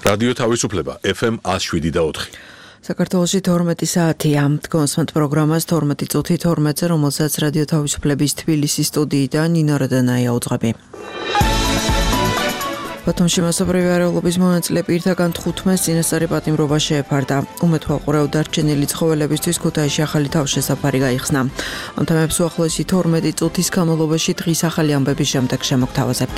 რადიო თავისუფლება FM 107.4. საქართველოში 12 საათია. Დგომსმენთ პროგრამას 12 წუთი 12-ზე, რომელსაც რადიო თავისუფლების თბილისის სტუდიიდან ნინო რადანაია უძღვები. ბათუმში მასობრივი არეულობის მონაწილე პირთაგან 15 წინასწარი პატიმრობა შეეფარდა. უმეთვალყურეო დარჩენილი ცხოველებისთვის ქუთაისში ახალი თავშესაფარი გაიხსნა. ამ თემებს უახლოესი 12 წუთის განმავლობაში დღის ახალი ამბების შემდეგ შემოგთავაზებთ.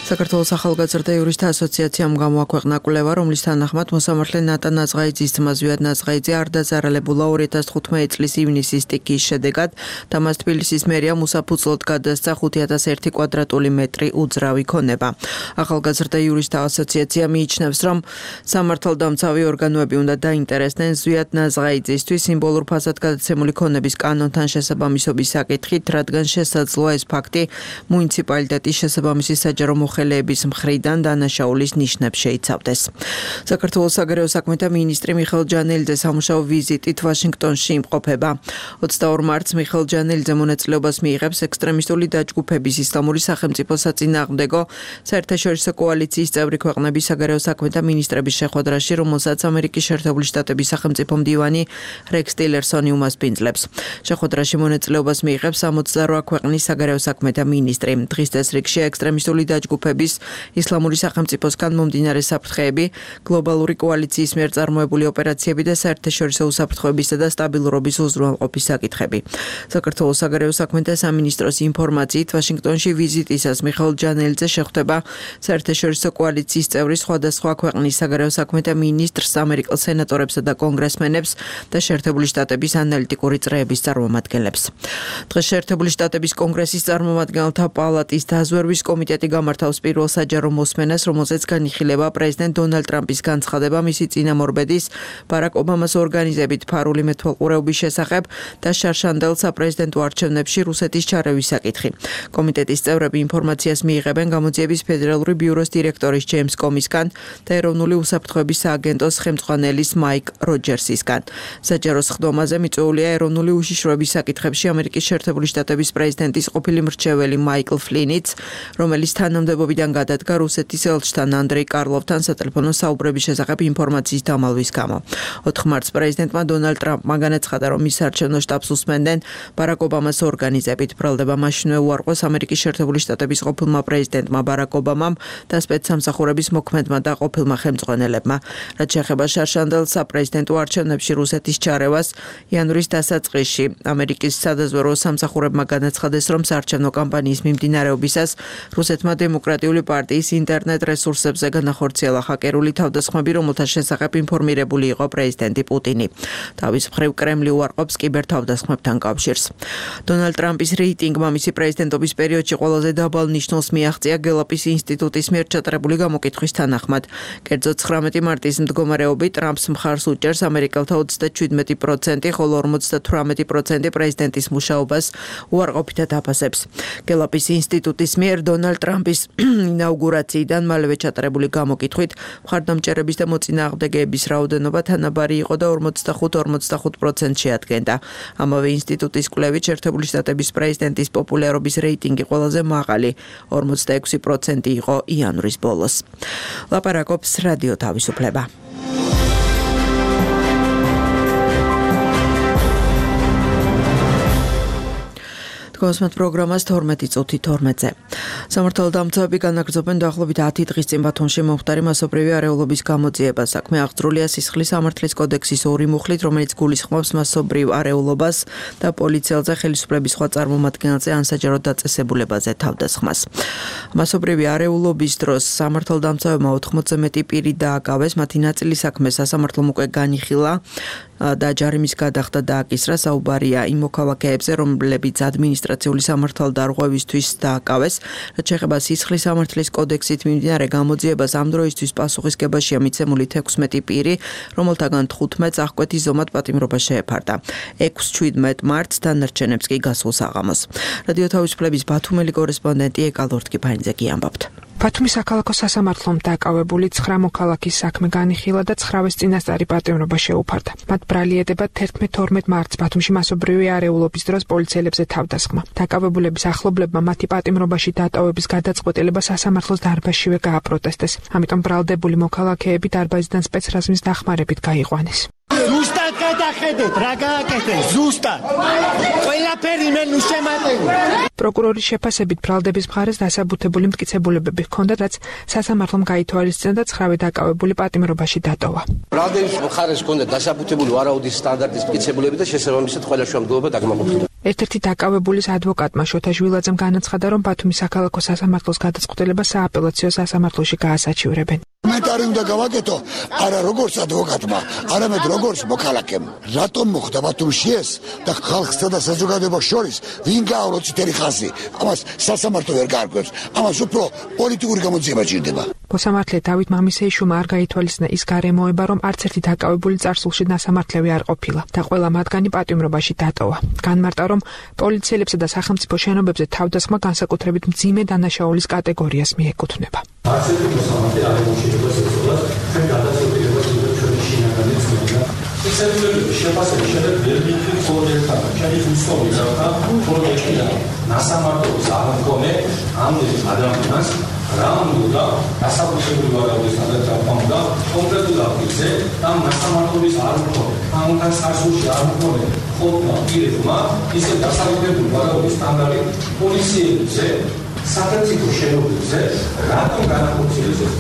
საქართველოს ახალგაზრდა იურისტთა ასოციაციამ გამოაქვეყნა კვლევა, რომლის თანახმად მოსამართლე ნატა ნაზღაიძის ძმა ზვიად ნაზღაიძე არ დაზარალებულა 2015 წლის ივნისის სტიქიის შედეგად და მას თბილისის მერია უსაფუძვლოდ გადასცა 5001 კვადრატული მეტრი უძრავი ქონება. ახალგაზრდა იურისტთა ასოციაცია მიიჩნევს, რომ სამართალდამცავი ორგანოები უნდა დაინტერესდნენ ზვიად ნაზღაიძისთვის სიმბოლურ ფასად გადაცემული ქონების კანონთან შესაბამისობის საკითხით, რადგან შესაძლოა ეს ფაქტი მუნიციპალიტეტის შესაბამისი საჯარო ხელების მხრიდან დანაშაულის ნიშნებს შეიცავდეს. საქართველოს საგარეო საქმეთა მინისტრი მიხეილ ჯანელიძე სამუშაო ვიზიტით ვაშინგტონში იმყოფება. 22 მარტს მიხეილ ჯანელიძე მონაწილეობას მიიღებს ექსტრემისტული დაჯგუფების ისლამური სახელმწიფო საწინააღმდეგო საერთაშორისო კოალიციის წევრი ქვეყნების საგარეო საქმეთა მინისტრების შეხვედრაში, რომელსაც ამერიკის შეერთებული შტატების სახელმწიფო მდივანი რექს ტილერსონი უმასპინძლებს. შეხვედრაში მონაწილეობას მიიღებს 68 ქვეყნის საგარეო საქმეთა მინისტრი. დღის წესრიგში ექსტრემისტული დაჯგუფების ისლამური სახელმწიფოსგან მომდინარე საფრთხეები, გლობალური კოალიციის მიერ წარმოებული ოპერაციები და საერთაშორისო უსაფრთხოებისა და სტაბილურობის უზრუნველყოფის საკითხები. საქართველოს საგარეო საქმეთა სამინისტროს ინფორმაციით, ვაშინგტონში ვიზიტისას მიხეილ ჯანელიძე შეხვდება საერთაშორისო კოალიციის წევრის სხვადასხვა ქვეყნის საგარეო საქმეთა მინისტრს, ამერიკელ სენატორებსა და კონგრესმენებს და შეერთებული შტატების ანალიტიკური წრეების წარმომადგენლებს. დღეს შეერთებული შტატების კონგრესის წარმომადგენელთა პალატის დაზვერვის კომიტეტი გამართავს პირველ საჯარო მოსმენას, რომელზეც განიხილება პრეზიდენტ დონალდ ტრამპის განცხადება მისი წინამორბედის ბარაკ ობამას ორგანიზებით ფარული მეთვალყურეობის შესახებ და შარშანდელ საპრეზიდენტო არჩევნებში რუსეთის ჩარევის საკითხი. კომიტეტის წევრები ინფორმაციას მიიღებენ გამოძიების ფედერალური ბიუროს დირექტორის ჯეიმს კომისგან და ეროვნული უსაფრთხოების სააგენტოს ხელმძღვანელის მაიკ როჯერსისგან. საჯარო სხდომაზე მიწვეულია ეროვნული უშიშროების საკითხებში ამერიკის შეერთებული შტატების პრეზიდენტის ყოფილი მრჩეველი მაიკლ ფლინიც, რომელიც თანამდებობიდან გადადგა რუსეთის ელჩთან ანდრეი კარლოვთან სატელეფონო საუბრების შესახებ ინფორმაციის დამალვის გამო. 4 მარტს პრეზიდენტმა დონალდ ტრამპმა განაცხადა, რომ მის საარჩევნო შტაბს უსმენდნენ ბარაკ ობამას ორგანიზებით. ბრალდება მაშინვე უარყოს ამერიკის შეერთებული შტატების ყოფილმა პრეზიდენტმა ბარაკ ობამამ და სპეცსამსახურების მოქმედმა და ყოფილმა ხელმძღვანელებმა. რაც შეეხება შარშანდელ საპრეზიდენტო არჩევნებში რუსეთის ჩარევას, იანვრის დასაწყისში ამერიკის სადაზვერვო სამსახურებმა განაცხადეს, რომ საარჩევნო კამპანიის მიმდინარეობისას რუსეთმა დემოკრატიული პარტიის ინტერნეტ რესურსებზე განახორციელა ჰაკერული თავდასხმები, რომელთა შესახებ ინფორმირებული იყო პრეზიდენტი პუტინი. თავის მხრივ კრემლი უარყოფს კიბერთავდასხმებთან კავშირს. დონალდ ტრამპის რეიტინგმა მისი პრეზიდენტობის პერიოდში ყველაზე დაბალ ნიშნულს მიაღწია გელაპის ინსტიტუტის მიერ ჩატარებული გამოკითხვის თანახმად. კერძო 19 მარტის მდგომარეობით ტრამპს მხარს უჭერს ამერიკელთა 37%, ხოლო 58% პრეზიდენტის მუშაობას უარყოფითად აფასებს. გელაპის ინსტიტუტის მიერ დონალდ ტრამპის ინაუგურაციიდან მალევე ჩატარებული გამოკითხვით მხარდამჭერების და მოწინააღმდეგეების რაოდენობა თანაბარი იყო და 45% შეადგენდა. ამავე ინსტიტუტის კვლევით შეერთებული შტატების პრეზიდენტის პოპულარობის რეიტინგი ყველაზე მაღალი 46% იყო იანვრის ბოლოს. ლაპარაკობს რადიო თავისუფლება. დგომსმენთ პროგრამას 12 წუთი 12-ზე. სამართალდამცავები განაგრძობენ დაახლოებით 10 დღის წინ ბათუმში მომხდარი მასობრივი არეულობის გამოძიებას. საქმე აღძრულია სისხლის სამართლის კოდექსის 2 მუხლით, რომელიც გულისხმობს მასობრივ არეულობას და პოლიციელზე ხელისუფლების სხვა წარმომადგენელზე ან საჯარო დაწესებულებაზე თავდასხმას. მასობრივი არეულობის დროს სამართალდამცავებმა 80-ზე მეტი პირი დააკავეს, მათი ნაწილი საქმე სასამართლომ უკვე განიხილა და ჯარიმის გადახდა დააკისრა. საუბარია იმ მოქალაქეებზე, რომლებიც ადმინისტრაციული სამართალდარღვევისთვის დააკავეს. რაც შეეხება სისხლის სამართლის კოდექსით მიმდინარე გამოძიებას, ამ დროისთვის პასუხისგებაშია მიცემული 16 პირი, რომელთაგან 15-ს აღკვეთის ზომად პატიმრობა შეეფარდა. 6-17 მარტს დანარჩენებს კი გასულ საღამოს. რადიო თავისუფლების ბათუმელი კორესპონდენტი ეკალ ორთქიფანიძე კი ამბობთ. ბათუმის საქალაქო სასამართლომ დაკავებული 9 მოქალაქის საქმე განიხილა და 9-ის წინასწარი პატიმრობა შეუფარდა. მათ ბრალი ედებათ 11-12 მარტს ბათუმში მასობრივი არეულობის დროს პოლიციელებზე თავდასხმა. დაკავებულების ახლობლებმა მათი პატიმრობაში დატოვების გადაწყვეტილება სასამართლოს დარბაზშივე გააპროტესტეს. ამიტომ ბრალდებული მოქალაქეები დარბაზიდან სპეცრაზმის დახმარებით გაიყვანეს. ზუსტად გადახედეთ, რა გააკეთეთ, ზუსტად. ყველაფერი მე ნუ შემატევი. პროკურორის შეფასებით ბრალდების მხარეს დასაბუთებული მტკიცებულებები ჰქონდათ, რაც სასამართლომ გაითვალისწინა და 9 დაკავებული პატიმრობაში დატოვა. ბრალდების მხარეს ჰქონდათ დასაბუთებული ვარაუდის სტანდარტის მტკიცებულები და შესაბამისად ყველა შემდგომობა დაგმოყოფილდა. ერთ-ერთი დაკავებულის ადვოკატმა შოთა ჟვილაძემ განაცხადა, რომ ბათუმის საქალაქო სასამართლოს გადაწყვეტილება სააპელაციო სასამართლოში გაასაჩივრებენ. კომენტარი უნდა გავაკეთო არა როგორც ადვოკატმა, არამედ როგორც მოქალაქემ. რატომ მოხდა ბათუმში ეს და ხალხსა და საზოგადოებას შორის ვინ გააურო წითელი ხაზი? ამას სასამართლო ვერ გაარკვევს. ამას უფრო პოლიტიკური გამოძიება ჭირდება. მოსამართლე დავით მამისეიშვილმა არ გაითვალისწინა ის გარემოება, რომ არც ერთი დაკავებული წარსულში დასამართლევი არ ყოფილა და ყველა მათგანი პატიმრობაში დატოვა. განმარტა, რომ პოლიციელებსა და სახელმწიფო შენობებზე თავდასხმა განსაკუთრებით მძიმე დანაშაულის კატეგორიას მიეკუთვნება. არც ერთი მოსამართლე არ მოშიდება ეცოდათ ჩვენ გადაწყვეტილებას ჩვენი შინაგანი ცნობა. ისეთების შეფასების შემდეგ ვერ მიქრით ხოლმე ჩემი უცნობი რა პროექტია ნასამართლოს არ მქონე ამ ადამიანს რა უნდა დასაბუთებული ვარაუდის გადაწყვეტა კონკრეტულ აფიქსზე და ნასამართლოს არ მქონე ამთან სასულში არ მქონე ხოლმე პირებმა ისე დასაბუთებული ვარაუდის სტანდარტი პოლიციებზე სახელმწიფო შენობებზე რატომ განახორციელეს ეს?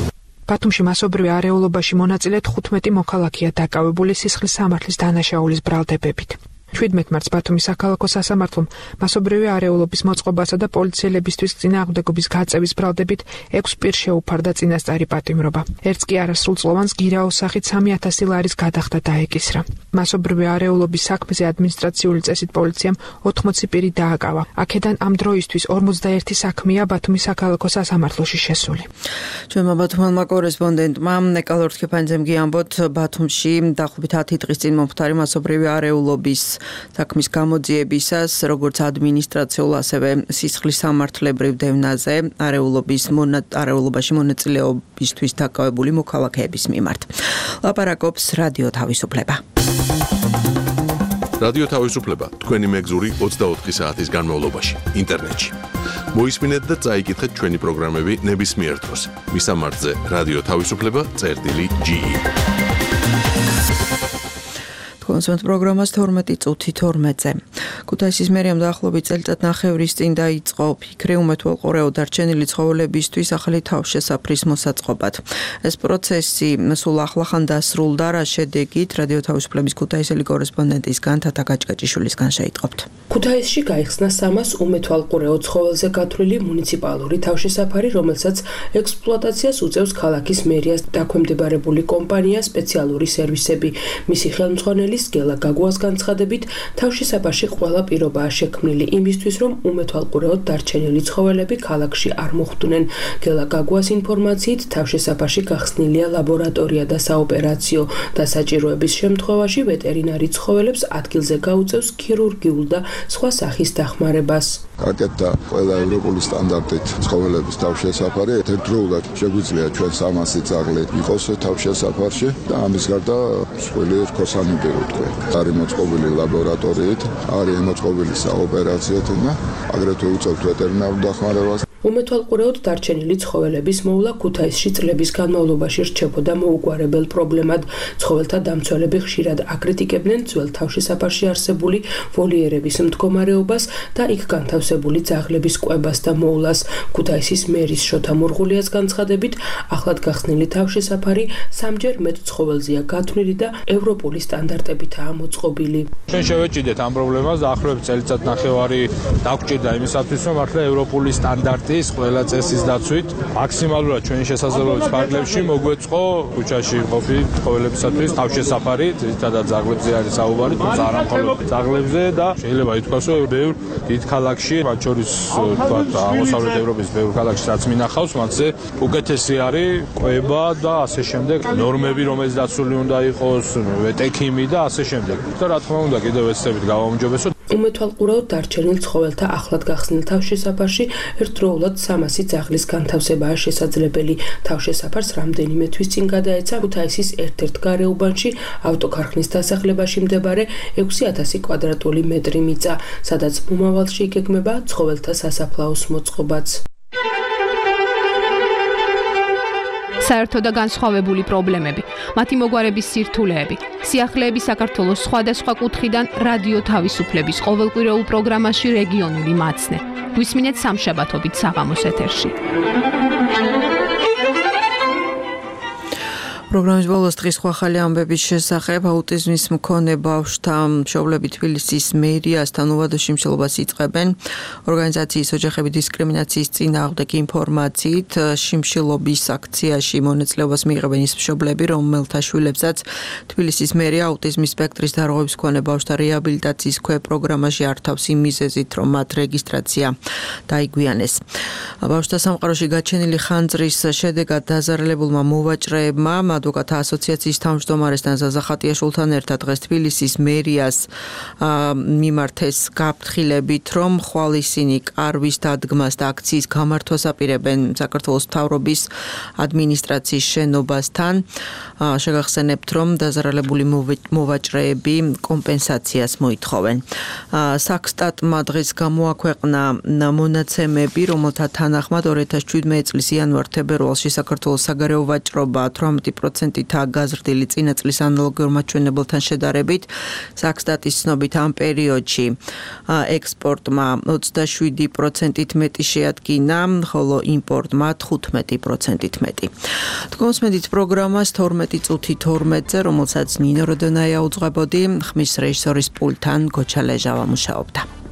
ბათუმში მასობრივი არეულობაში მონაწილე 15 მოქალაქეა დაკავებული სისხლის სამართლის დანაშაულის ბრალდებებით. 17 მარტს ბათუმის საქალაქო სასამართლომ მასობრივი არეულობის მოწყობასა და პოლიციელებისთვის წინააღმდეგობის გაწევის ბრალდებით 6 პირს შეუფარდა წინასწარი პატიმრობა. ერთს კი არასრულწლოვანს გირაოს სახით 3000 ლარის გადახდა დაეკისრა. მასობრივი არეულობის საქმეზე ადმინისტრაციული წესით პოლიციამ 80 პირი დააკავა. აქედან ამ დროისთვის 41 საქმეა ბათუმის საქალაქო სასამართლოში შესული. ჩვენმა ბათუმელმა კორესპონდენტმა ნეკალორ თქეფანიძემ გიამბოთ, ბათუმში დაახლოებით 10 დღის წინ მომხდარი მასობრივი არეულობის საქმის გამოძიებისას, როგორც ადმინისტრაციულ, ასევე სისხლის სამართლებრივ დევნაზე არეულობაში მონაწილეობისთვის დაკავებული მოქალაქეების მიმართ. ლაპარაკობს რადიო თავისუფლება. რადიო თავისუფლება თქვენი მეგზური 24 საათის განმავლობაში ინტერნეტში. მოისმინეთ და წაიკითხეთ ჩვენი პროგრამები ნებისმიერ დროს. მისამართზე რადიო თავისუფლება.ge. კონსერტ პროგრამას 12:12-ზე. ქუთაისის მერიამ დაახლოებით წელიწადნახევრის წინ დაიწყო ფიქრი უმეთვალყურეო დარჩენილი ცხოველებისთვის ახალი თავშესაფრის მოსაწყობად. ეს პროცესი სულ ახლახან დასრულდა, რა შედეგით რადიო თავისუფლების ქუთაისელი კორესპონდენტისგან თათა გაჭკაჭიშვილისგან შეიტყობთ. ქუთაისში გაიხსნა 300 უმეთვალყურეო ცხოველზე გათვლილი მუნიციპალური თავშესაფარი, რომელსაც ექსპლუატაციას უწევს ქალაქის მერიას დაქვემდებარებული კომპანია სპეციალური სერვისები. მისი ხელმძღვანელი გელა გაგუას განცხადებით, თავშესაფარში ყველა პირობაა შექმნილი იმისთვის, რომ უმეთვალყურეოდ დარჩენილი ცხოველები ქალაქში არ მოხვდნენ. გელა გაგუას ინფორმაციით, თავშესაფარში გახსნილია ლაბორატორია და საოპერაციო და საჭიროების შემთხვევაში ვეტერინარი ცხოველებს ადგილზე გაუწევს ქირურგიულ და სხვა სახის დახმარებას. გაკეთდა ყველა ევროპული სტანდარტით ცხოველების თავშესაფარი, ერთდროულად შეგვიძლია ჩვენ 300 ძაღლი იყოს თავშესაფარში და ამის გარდა მსხვილი რქოსანები ვთქვი. არის მოწყობილი ლაბორატორიით, არის მოწყობილი საოპერაციოთ და აგრეთვე უწევთ ვეტერინარულ დახმარებას. უმეთვალყურეოდ დარჩენილი ცხოველების მოვლა ქუთაისში წლების განმავლობაში რჩებოდა მოუგვარებელ პრობლემად. ცხოველთა დამცველები ხშირად აკრიტიკებდნენ ძველ თავშესაფარში არსებული ვოლიერების მდგომარეობას და იქ განთავსებული ძაღლების კვებას და მოვლას. ქუთაისის მერის შოთა მურღულიას განცხადებით, ახლად გახსნილი თავშესაფარი სამჯერ მეტ ცხოველზეა გათვლილი და ევროპული სტანდარტებითაა მოწყობილი. ჩვენ შევეჭიდეთ ამ პრობლემას დაახლოებით წელიწადნახევარი დაგვჭირდა იმისათვის, რომ მართლა ევროპული სტანდარტი ყველა წესის დაცვით მაქსიმალურად ჩვენი შესაძლებლობის ფარგლებში მოგვეწყო ქუჩაში მყოფი ცხოველებისათვის თავშესაფარი, ძირითადად ძაღლებზე არის საუბარი, თუმცა არა მხოლოდ ძაღლებზე და შეიძლება ითქვას, რომ ბევრ დიდ ქალაქში, მათ შორის თქვათ აღმოსავლეთ ევროპის ბევრ ქალაქში რაც მინახავს, მათზე უკეთესი არის კვება და ასე შემდეგ, ნორმები, რომელიც დაცული უნდა იყოს, ვეტექიმი და ასე შემდეგ. და რა თქმა უნდა, კიდევ ეცდებით გავაუმჯობესოთ. უმეთვალყურეოდ დარჩენილ ცხოველთა ახლად გახსნილ თავშესაფარში ერთდროულად 300 ძაღლის განთავსებაა შესაძლებელი. თავშესაფარს რამდენიმე თვის წინ გადაეცა ქუთაისის ერთ-ერთ გარეუბანში ავტოქარხნის დასახლებაში მდებარე 6000 კვადრატული მეტრი მიწა, სადაც მომავალში იგეგმება ცხოველთა სასაფლაოს მოწყობაც. საერთო და განსხვავებული პრობლემები, მათი მოგვარების სირთულეები, სიახლეები საქართველოს სხვადასხვა კუთხიდან რადიო თავისუფლების ყოველკვირეულ პროგრამაში რეგიონული მაცნე. გვისმინეთ სამშაბათობით საღამოს ეთერში. პროგრამის ბოლოს დღის ხვალ ამბების შესახებ აუტიზმის მქონე ბავშვთა მშობლები თბილისის მერიასთან უვადო შიმშილობას იწყებენ. ორგანიზაციის ოჯახების დისკრიმინაციის წინააღმდეგ ინფორმაციით შიმშილობის აქციაში მონაწილეობას მიიღებენ ის მშობლები, რომელთა შვილებსაც თბილისის მერია აუტიზმის სპექტრის დარღვევების მქონე ბავშვთა რეაბილიტაციის პროგრამაში ართავს იმ მიზეზით, რომ მათ რეგისტრაცია დაიგვიანეს. ბავშვთა სამყაროში გაჩენილი ხანძრის შედეგად დაზარალებულმა მოვაჭრეებმა ადვოკატთა ასოციაციის თავმჯდომარესთან ზაზა ხატიაშვილთან ერთად დღეს თბილისის მერიას მიმართეს გაფრთხილებით, რომ ხვალ ისინი კარვის დადგმას და აქციის გამართვას აპირებენ საქართველოს მთავრობის ადმინისტრაციის შენობასთან. შეგახსენებთ, რომ დაზარალებული მოვაჭრეები კომპენსაციას მოითხოვენ. საქსტატმა დღეს გამოაქვეყნა მონაცემები, რომელთა თანახმად 2017 წლის იანვარ-თებერვალში საქართველოს საგარეო ვაჭრობა 18%-ით გაზრდილი წინა წლის ანალოგიურ მაჩვენებელთან შედარებით. საქსტატის ცნობით ამ პერიოდში ექსპორტმა 27%-ით მეტი შეადგინა, ხოლო იმპორტმა 15%-ით მეტი. თქვენსმენით პროგრამას 12 წუთი 12-ზე, რომელსაც ნინო როდონაია უძღვებოდი, ხმის რეჟისორის პულტთან გოჩა ლეჟავა მუშაობდა.